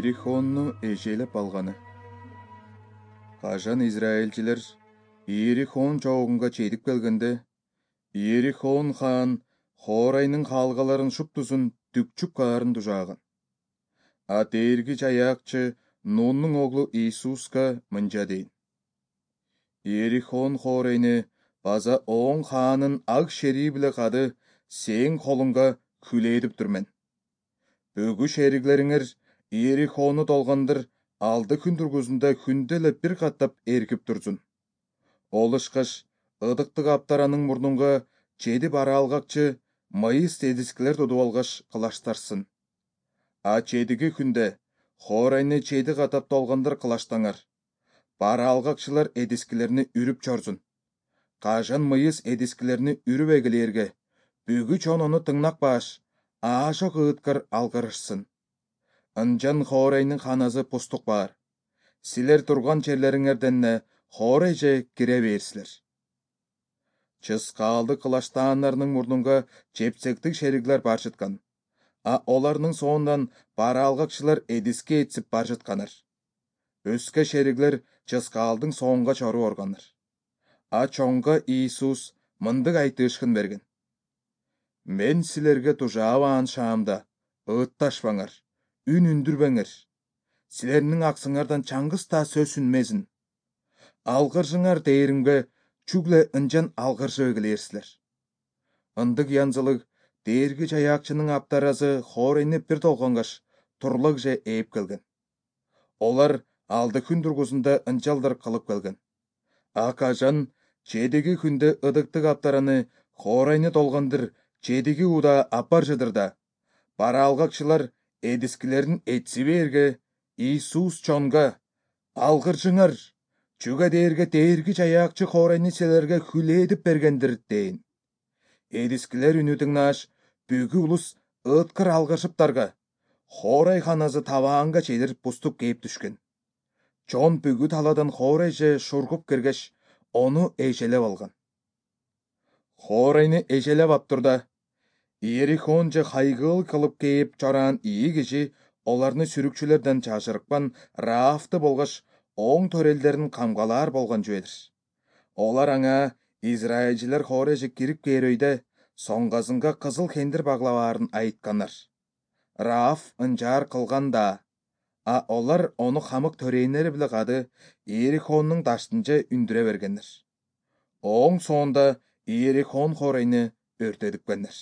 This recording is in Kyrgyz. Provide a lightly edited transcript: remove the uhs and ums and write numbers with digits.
Иерихонну эжелеп алганы. Кажан израилчилер Иерихон чогунга чейдип келгенде, Иерихон хаан Хорайнын калгаларын шуптузун түкчүк каарын тужааган. А дээргич аяакчы Нуннун оглу Иисуска мынча дейин: Иерихон Хорайны база оң хаанын ак шерии биле кады сээң колуңга күлээдиптир мен. Бүгү шериглериңер Иерихону долгандыр алды күн тургузунда күндө эле бир каттап эркип турсун. Ол ышкаш ыдыктык аптаранын мурнунга чеди бара алгакчы майыс эдискилер тутуп алгаш кылаштарсын. А чедиги күндө Хорайны чеди катап долгандыр кылаштаңар. Бара алгакчылар эдискилерни үрүп чорсун. Кажан мыйыс эдискилерни үрүп эгилерге, бүгү чонону тыңнак баш, аашок ыыткар алгарышсын. Ынчан Хорайнын ханасы пустук бар. Силер турган жерлериңерден Хорайже кире берсилер. Чыскаалды кылаштааннарынын мурнунга чепсектик шериглер бар жаткан, а оларнын соондан бара алгакчылар эдиске этсип бар жатканар. Өскө шериглер чыскаалдын соонга чору органыр. А чоңго Иисус мындык айтышкын берген: Мен силерге тужаабаан шаамда ыытташпаңар, үн үндүрбөңөр. Силердин аксыңардан чаңгыс да сөз үнмесин. Алгыржыңар дээримге чүгле ынчан алгыржып эгилерсилер. Ындык янзылык дээргич аяакчынын аптарасы Хорайны бир долгонгаш турлак же ээп келген. Олар алды күн тургузунда ынчалдыр кылып келген. А кажан чедиги күндө ыдыктык аптараны Хорайны долгандыр чедиги ууда апаржыдыр да, бара алгакчылар эдискилерин этси бээрге, Иисус чонго: алгыржыңар, чүгө дээрге дээргич аяакчы Хорайны силерге хүлээдип бергендир дейин. Эдискилер үнү тыңнааш, бүгү улус ыыткыр алгыршыптарга, Хорай ханасы табаанга чейдир пуступ кээп түшкөн. Чон бүгү талаадан Хорайже шургуп киргеш, ону эжелеп алган. Хорайны эжелеп аптырда, Иерихон же хайгыл кылып кээп чораан ийи киши оларны сүрүкчүлөрдөн чашырыкпан Раафты болгош оң төрелдерин камгалаар болгон жүбедир. Олар аңа израилчилер Хорайже кирип кээр өйдө соңгасынга кызыл кендир баглабаарын айтканар. Рааф ынчаар кылган да, а олар ону хамык төрөөннери биле кады Иерихоннун даштынча үндүрө бергенер. Оң соонда Иерихон Хорайны өртөдүпкенер.